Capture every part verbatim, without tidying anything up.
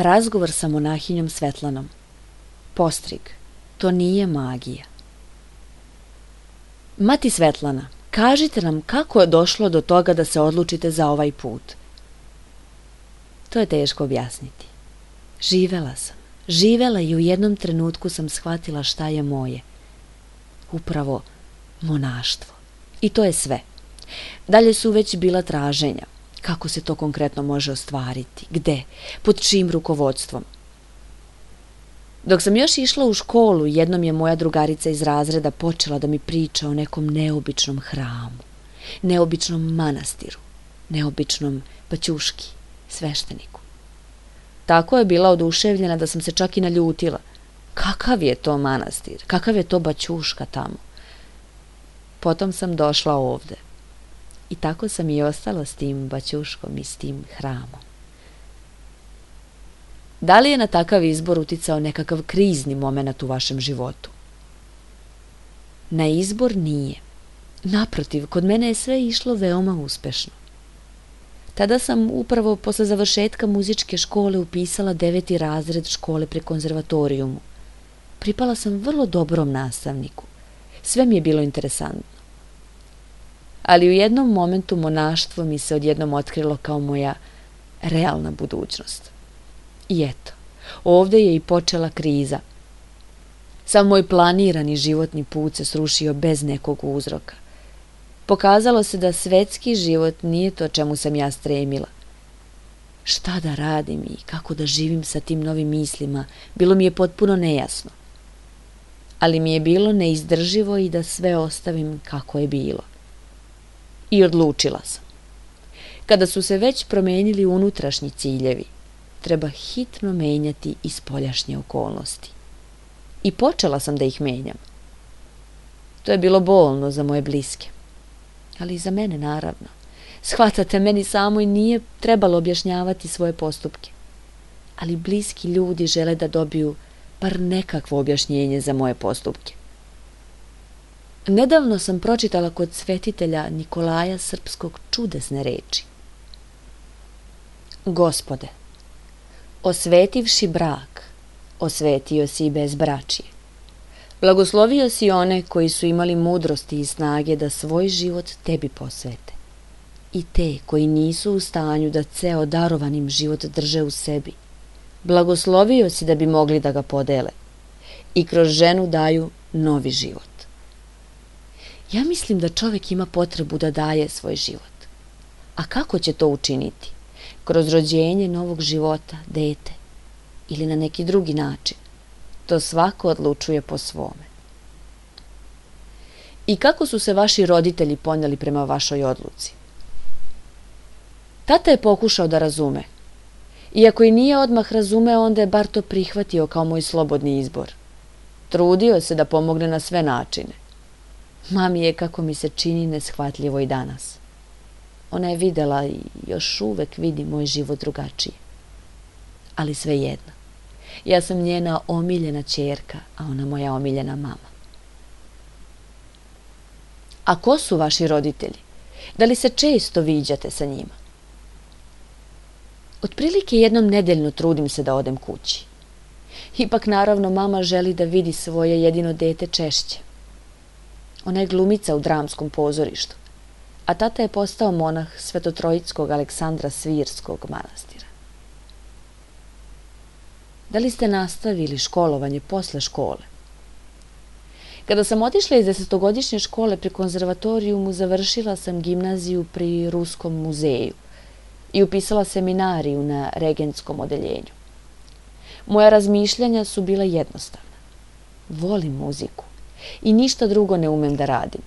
Razgovor sa monahinjom Svetlanom. Postrig. To nije magija. Mati Svetlana, kažite nam kako je došlo do toga da se odlučite za ovaj put. To je teško objasniti. Živela sam. Živela i u jednom trenutku sam shvatila šta je moje. Upravo monaštvo. I to je sve. Dalje su već bila traženja. Kako se to konkretno može ostvariti? Gde? Pod čijim rukovodstvom? Dok sam još išla u školu, jednom je moja drugarica iz razreda počela da mi priča o nekom neobičnom hramu, neobičnom manastiru, neobičnom paćuški, svešteniku. Tako je bila oduševljena da sam se čak i naljutila. Kakav je to manastir? Kakav je to baćuška tamo? Potom sam došla ovde. I tako sam i ostala s tim baćuškom i s tim hramom. Da li je na takav izbor uticao nekakav krizni moment u vašem životu? Na izbor nije. Naprotiv, kod mene je sve išlo veoma uspešno. Tada sam upravo posle završetka muzičke škole upisala deveti razred škole pri konzervatorijumu. Pripala sam vrlo dobrom nastavniku. Sve mi je bilo interesantno. Ali u jednom momentu monaštvo mi se odjednom otkrilo kao moja realna budućnost. I eto, ovde je i počela kriza. Sam moj planirani životni put se srušio bez nekog uzroka. Pokazalo se da svetski život nije to čemu sam ja stremila. Šta da radim i kako da živim sa tim novim mislima, bilo mi je potpuno nejasno. Ali mi je bilo neizdrživo i da sve ostavim kako je bilo. I odlučila sam. Kada su se već promenili unutrašnji ciljevi, treba hitno menjati i spoljašnje okolnosti. I počela sam da ih menjam. To je bilo bolno za moje bliske. Ali i za mene, naravno. Shvatate, meni samoj nije trebalo objašnjavati svoje postupke. Ali bliski ljudi žele da dobiju bar nekakvo objašnjenje za moje postupke. Nedavno sam pročitala kod svetitelja Nikolaja Srpskog čudesne reči. Gospode, osvetivši brak, osvetio si i bezbračje. Blagoslovio si one koji su imali mudrosti i snage da svoj život tebi posvete. I te koji nisu u stanju da ceo darovanim život drže u sebi. Blagoslovio si da bi mogli da ga podele. I kroz ženu daju novi život. Ja mislim da čovek ima potrebu da daje svoj život. A kako će to učiniti? Kroz rođenje novog života, dete, ili na neki drugi način. To svako odlučuje po svome. I kako su se vaši roditelji poneli prema vašoj odluci? Tata je pokušao da razume. Iako i nije odmah razumeo, onda je bar to prihvatio kao moj slobodni izbor. Trudio se da pomogne na sve načine. Mami je, kako mi se čini, neshvatljivo i danas. Ona je videla i još uvek vidi moj život drugačije. Ali svejedno. Ja sam njena omiljena ćerka, a ona moja omiljena mama. A ko su vaši roditelji? Da li se često viđate sa njima? Otprilike jednom nedeljno trudim se da odem kući. Ipak naravno mama želi da vidi svoje jedino dete češće. Ona je glumica u dramskom pozorištu, a tata je postao monah Svetotrojitskog Aleksandra Svirskog manastira. Da li ste nastavili školovanje posle škole? Kada sam otišla iz desetogodišnje škole pri konzervatorijumu, završila sam gimnaziju pri Ruskom muzeju i upisala seminariju na regentskom odeljenju. Moja razmišljanja su bila jednostavna. Volim muziku i ništa drugo ne umem da radim,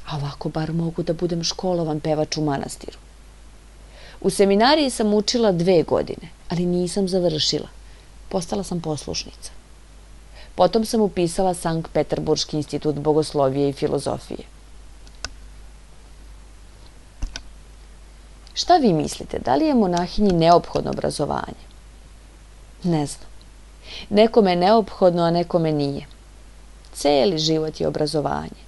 a ovako bar mogu da budem školovan pevač u manastiru. U seminariji sam učila dve godine, ali nisam završila. Postala sam poslušnica. Potom sam upisala Sankt Peterburški institut bogoslovije i filozofije. Šta vi mislite, da li je monahinji neophodno obrazovanje? Ne znam. Nekome je neophodno, a nekome nije. Celi život je obrazovanje.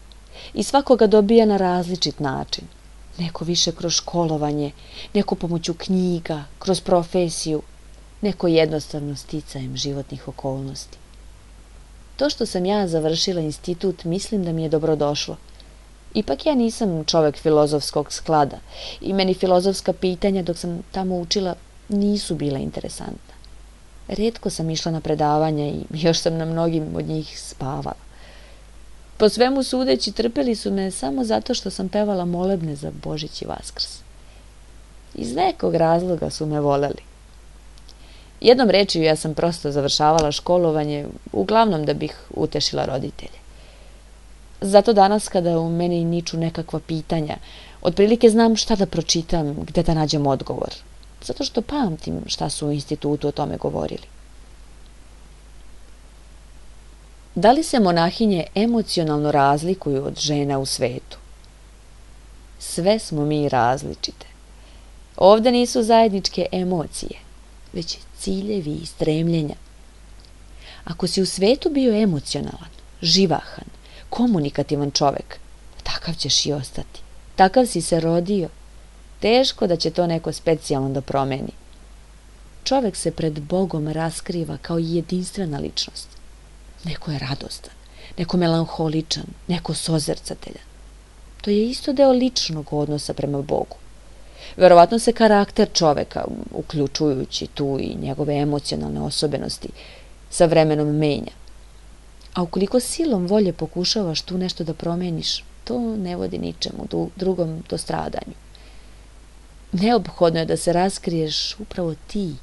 I svako ga dobija na različit način. Neko više kroz školovanje, neko pomoću knjiga, kroz profesiju, neko jednostavno sticajem životnih okolnosti. To što sam ja završila institut, mislim da mi je dobrodošlo. Ipak ja nisam čovek filozofskog sklada i meni filozofska pitanja dok sam tamo učila nisu bila interesantna. Rijetko sam išla na predavanja i još sam na mnogim od njih spavala. Po svemu sudeći, trpeli su me samo zato što sam pevala molebne za Božić i Vaskrs. Iz nekog razloga su me voleli. Jednom rečju, ja sam prosto završavala školovanje, uglavnom da bih utešila roditelje. Zato danas kada u meni niču nekakva pitanja, otprilike znam šta da pročitam, gde da nađem odgovor. Zato što pamtim šta su u institutu o tome govorili. Da li se monahinje emocionalno razlikuju od žena u svetu? Sve smo mi različite. Ovde nisu zajedničke emocije, već ciljevi i stremljenja. Ako si u svetu bio emocionalan, živahan, komunikativan čovek, takav ćeš i ostati. Takav si se rodio. Teško da će to neko specijalno da promeni. Čovek se pred Bogom raskriva kao jedinstvena ličnost. Neko je radostan, neko melanholičan, neko sozercateljan. To je isto deo ličnog odnosa prema Bogu. Verovatno se karakter čoveka, uključujući tu i njegove emocionalne osobenosti, sa vremenom menja. A ukoliko silom volje pokušavaš tu nešto da promeniš, to ne vodi ničemu drugom do stradanju. Neophodno je da se raskriješ upravo ti,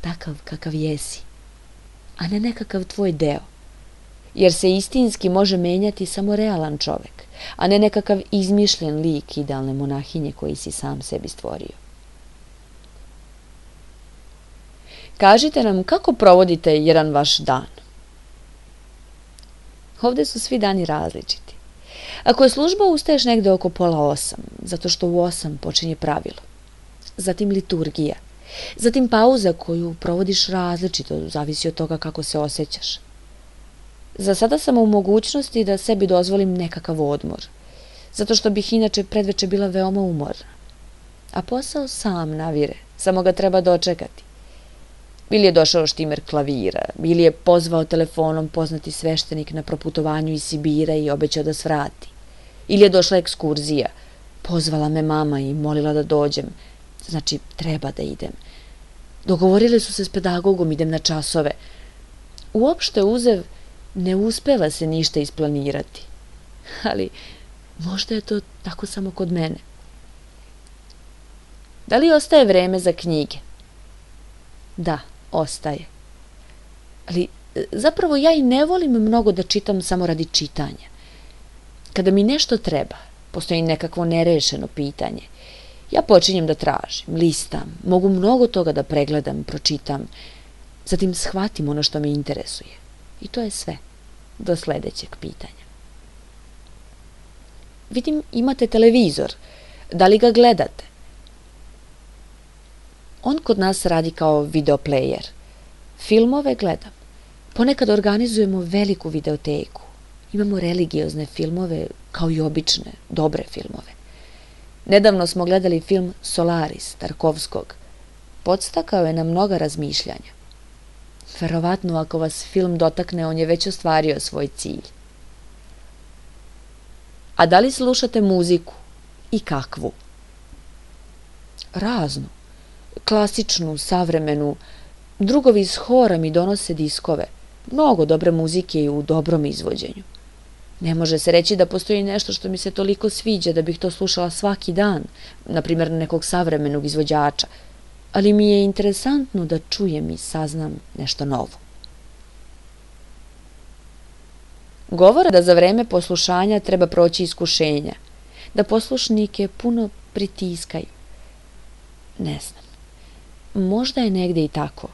takav kakav jesi, a ne nekakav tvoj deo. Jer se istinski može menjati samo realan čovek, a ne nekakav izmišljen lik idealne monahinje koji si sam sebi stvorio. Kažite nam kako provodite jedan vaš dan. Ovde su svi dani različiti. Ako je služba, ustaješ negde oko pola osam, zato što u osam počinje pravilo. Zatim liturgija. Zatim pauza koju provodiš različito, zavisi od toga kako se osjećaš. Za sada sam u mogućnosti da sebi dozvolim nekakav odmor, zato što bih inače predveče bila veoma umorna. A posao sam navire, samo ga treba dočekati. Ili je došao štimer klavira, ili je pozvao telefonom poznati sveštenik na proputovanju iz Sibira i obećao da svrati. Ili je došla ekskurzija, pozvala me mama i molila da dođem, znači treba da idem. Dogovorili su se s pedagogom, idem na časove. Uopšte uzev, ne uspeva se ništa isplanirati. Ali možda je to tako samo kod mene. Da li ostaje vreme za knjige? Da, ostaje. Ali zapravo ja i ne volim mnogo da čitam samo radi čitanja. Kada mi nešto treba, postoji nekakvo nerešeno pitanje, ja počinjem da tražim, listam, mogu mnogo toga da pregledam, pročitam, zatim shvatim ono što me interesuje. I to je sve, do sledećeg pitanja. Vidim, imate televizor, da li ga gledate? On kod nas radi kao videoplejer. Filmove gledam. Ponekad organizujemo veliku videoteku. Imamo religiozne filmove kao i obične, dobre filmove. Nedavno smo gledali film Solaris Tarkovskog. Podstakao je na mnoga razmišljanja. Verovatno ako vas film dotakne, on je već ostvario svoj cilj. A da li slušate muziku? I kakvu? Raznu. Klasičnu, savremenu. Drugovi iz hora mi donose diskove. Mnogo dobre muzike i u dobrom izvođenju. Ne može se reći da postoji nešto što mi se toliko sviđa da bih to slušala svaki dan, na primjer nekog savremenog izvođača, ali mi je interesantno da čujem i saznam nešto novo. Govore da za vreme poslušanja treba proći iskušenja, da poslušnike puno pritiskaju. Ne znam, možda je negde i tako,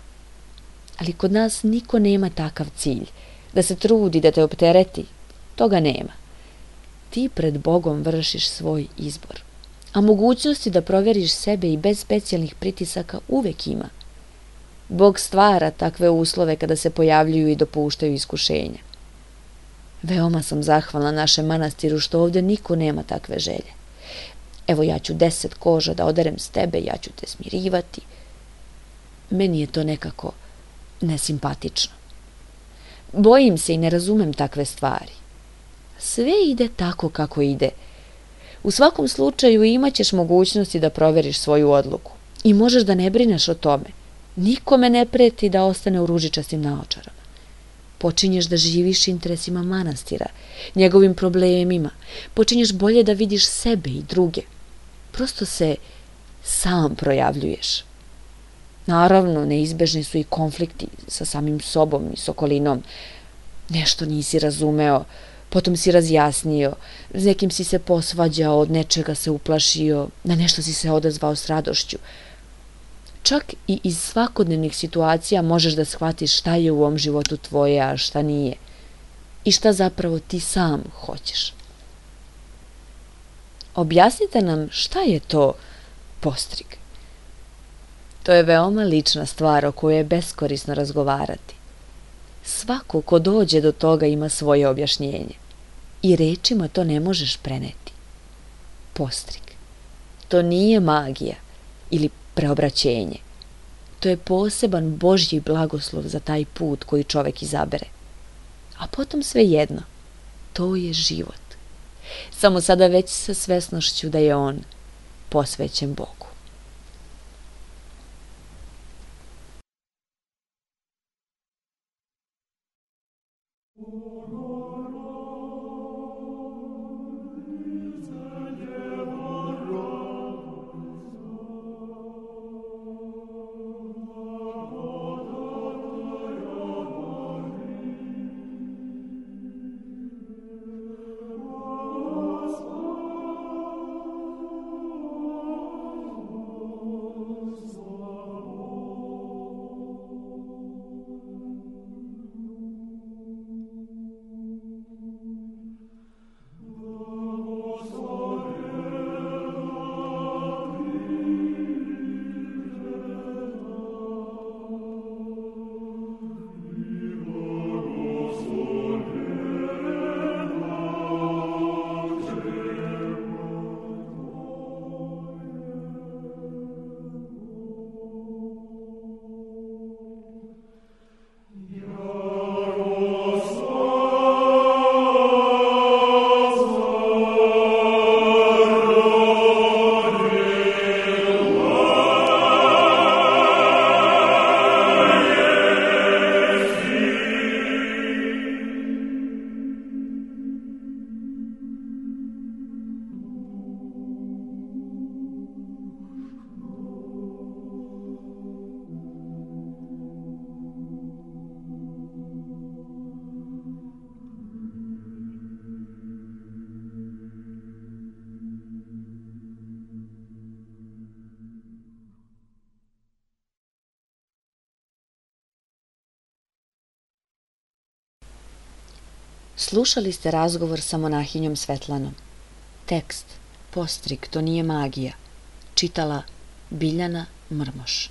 ali kod nas niko nema takav cilj, da se trudi, da te optereti, toga nema. Ti pred Bogom vršiš svoj izbor, a mogućnosti da provjeriš sebe i bez specijalnih pritisaka uvek ima. Bog stvara takve uslove kada se pojavljuju i dopuštaju iskušenja. Veoma sam zahvalna našem manastiru što ovdje niko nema takve želje. Evo ja ću deset koža da oderem s tebe, ja ću te smirivati. Meni je to nekako nesimpatično. Bojim se i ne razumem takve stvari. Sve ide tako kako ide. U svakom slučaju imat ćeš mogućnosti da provjeriš svoju odluku i možeš da ne brineš o tome. Nikome ne preti da ostane u ružičastim naočarama. Počinješ da živiš interesima manastira, njegovim problemima, počinješ bolje da vidiš sebe i druge. Prosto se sam projavljuješ. Naravno, neizbežni su i konflikti sa samim sobom i s okolinom. Nešto nisi razumeo, potom si razjasnio, s nekim si se posvađao, od nečega se uplašio, na nešto si se odazvao s radošću. Čak i iz svakodnevnih situacija možeš da shvatiš šta je u ovom životu tvoje, a šta nije. I šta zapravo ti sam hoćeš. Objasnite nam šta je to postrig. To je veoma lična stvar o kojoj je beskorisno razgovarati. Svako ko dođe do toga ima svoje objašnjenje. I rečima to ne možeš preneti. Postrig. To nije magija ili preobraćenje. To je poseban Božji blagoslov za taj put koji čovek izabere. A potom sve jedno. To je život. Samo sada već sa svesnošću da je on posvećen Bogu. Slušali ste razgovor sa monahinjom Svetlanom. Tekst, postrig, to nije magija. Čitala Biljana Mrmoš.